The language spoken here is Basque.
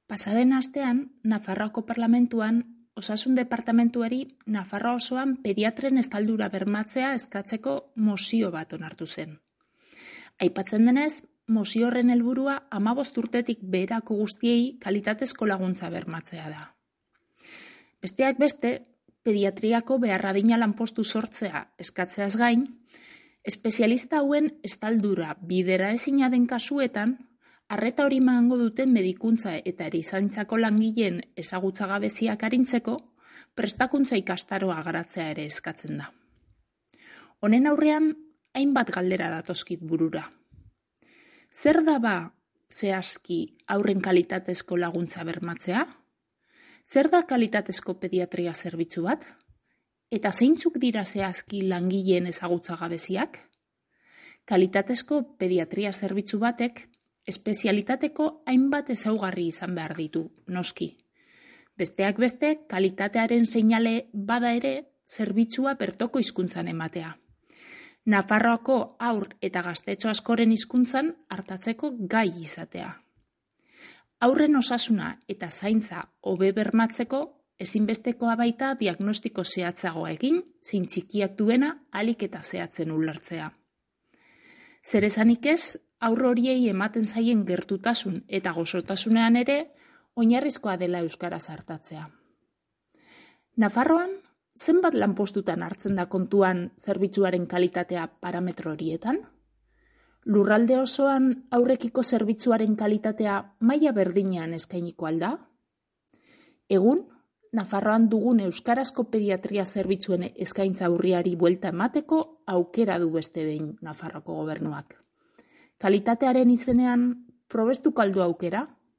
Pasaden astean, Nafarroako Parlamentuan Osasun Departamentuari Nafarroa osoan pediatren estaldura bermatzea eskatzeko mozio bat onartu zen. Aipatzen denez, mozio horren helburua 15 urtetik beherako guztiei kalitatezko laguntza bermatzea da. Besteak beste, pediatriako beharradina lanpostu sortzea eskatzeaz gain, espezialista hauen estaldura bidera ezina den kasuetan, arreta hori emango duten medikuntza eta erizaintzako langileen ezagutza gabeziak arintzeko, prestakuntza ikastaroa garatzea ere eskatzen da. Honen aurrean, hainbat galdera datozkit burura. Zer da ba zehazki haurren kalitatezko laguntza bermatzea? Zer da kalitatezko pediatria zerbitzu bat? Eta zeintzuk dira zehazki langileen ezagutza gabeziak? Kalitatezko pediatria zerbitzu batek espezialitateko hainbat ezaugarri izan behar ditu, noski. Besteak beste, kalitatearen seinale bada ere zerbitzua bertoko hizkuntzan ematea. Nafarroako haur eta gaztetxo askoren hizkuntzan artatzeko gai izatea. Haurren osasuna eta zaintza hobe bermatzeko ezinbestekoa baita diagnostiko zehatzagoa egin, zein txikiak duena ahalik eta zehatzen ulertzea. Zer esanik ez, haur horiei ematen zaien gertutasun eta gozotasunean ere oinarrizkoa dela euskaraz artatzea. Nafarroan, zenbat lanpostutan hartzen da kontuan zerbitzuaren kalitatea parametro horietan? Lurralde osoan aurrekiko zerbitzuaren kalitatea maila berdinean eskainiko alda? Egun, Nafarroan dugun euskarazko pediatria zerbitzuen eskaintza urriari buelta emateko aukera du beste behin Nafarroako gobernuak. Kalitatearen izenean probestuko aldu aukera?